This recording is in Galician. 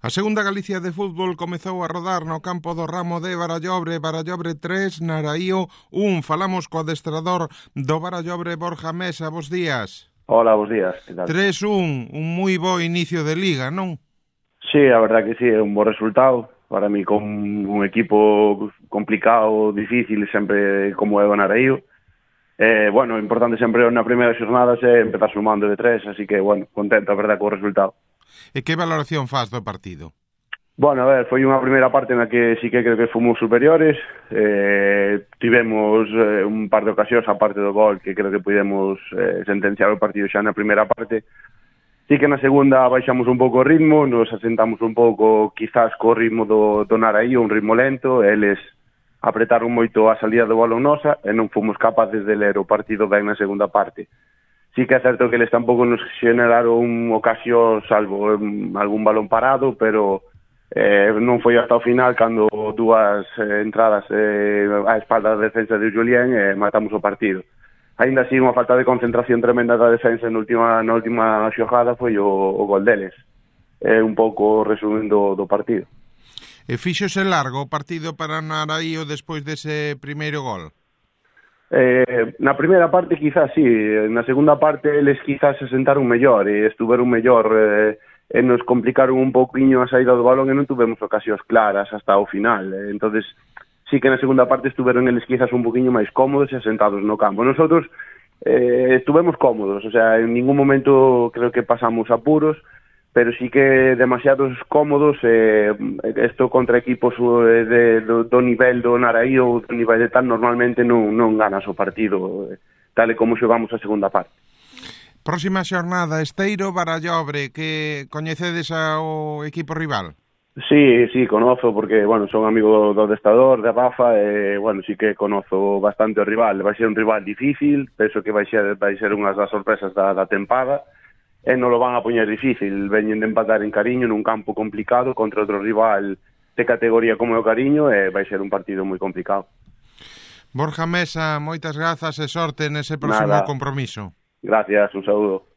A segunda Galicia de fútbol comezou a rodar no campo do Ramo de Barallobre, Barallobre 3, Naraío 1. Falamos co adestrador do Barallobre, Borja Mesa. Bos días. Hola, bos días, que tal? 3-1, un moi bo inicio de liga, non? Sí, a verdad que sí, é un bo resultado. Para mí, con un equipo complicado, difícil, sempre como é o Naraío. Bueno, o importante sempre na primeira xornada é empezar sumando de 3, así que, bueno, contento, a verdad, co resultado. E que valoración faz do partido? Bueno, a ver, foi unha primeira parte na que sí que creo que fomos superiores. Tivemos un par de ocasións, a parte do gol, que creo que pudemos sentenciar o partido xa na primeira parte. Sí que na segunda baixamos un pouco o ritmo, nos asentamos un pouco quizás co ritmo do Naraío, un ritmo lento, eles apretaron moito a salida do balón nosa e non fomos capaces de ler o partido ben na segunda parte. Sí que é certo que eles tampouco nos generaron ocasión salvo algún balón parado, pero non foi hasta o final cando dúas entradas á espalda da defensa de Julián e matamos o partido. Ainda así, unha falta de concentración tremenda da defensa na última xogada foi o gol deles. Un pouco resumen do partido. E fíxose largo o partido para Naraío despois dese primeiro gol? Na primeira parte quizás sí, na segunda parte eles quizás se sentaron mellor e estuveron mellor e nos complicaron un pouquiño a saída do balón e non tuvemos ocasións claras hasta o final. Entonces sí que na segunda parte estuveron eles quizás un poquinho máis cómodos e asentados no campo. Nosotros estuvemos cómodos, o sea, en ningún momento creo que pasamos apuros, pero sí que demasiados cómodos. Isto contra equipos do nivel do Naraío ou do nivel de tal, normalmente non ganas o partido tal e como xogamos a segunda parte. Próxima xornada, Esteiro, Barallobre, que coñecedes ao equipo rival? Sí, conozo, porque, bueno, son amigo do adestrador, de Rafa, e, bueno, sí que conozo bastante o rival. Vai ser un rival difícil, penso que vai ser unhas das sorpresas da tempada, e non lo van a poñer difícil. Veñen de empatar en Cariño nun campo complicado contra outro rival de categoría como é o Cariño, e vai ser un partido moi complicado. Borja Mesa, moitas grazas e sorte nese próximo compromiso. Gracias, un saúdo.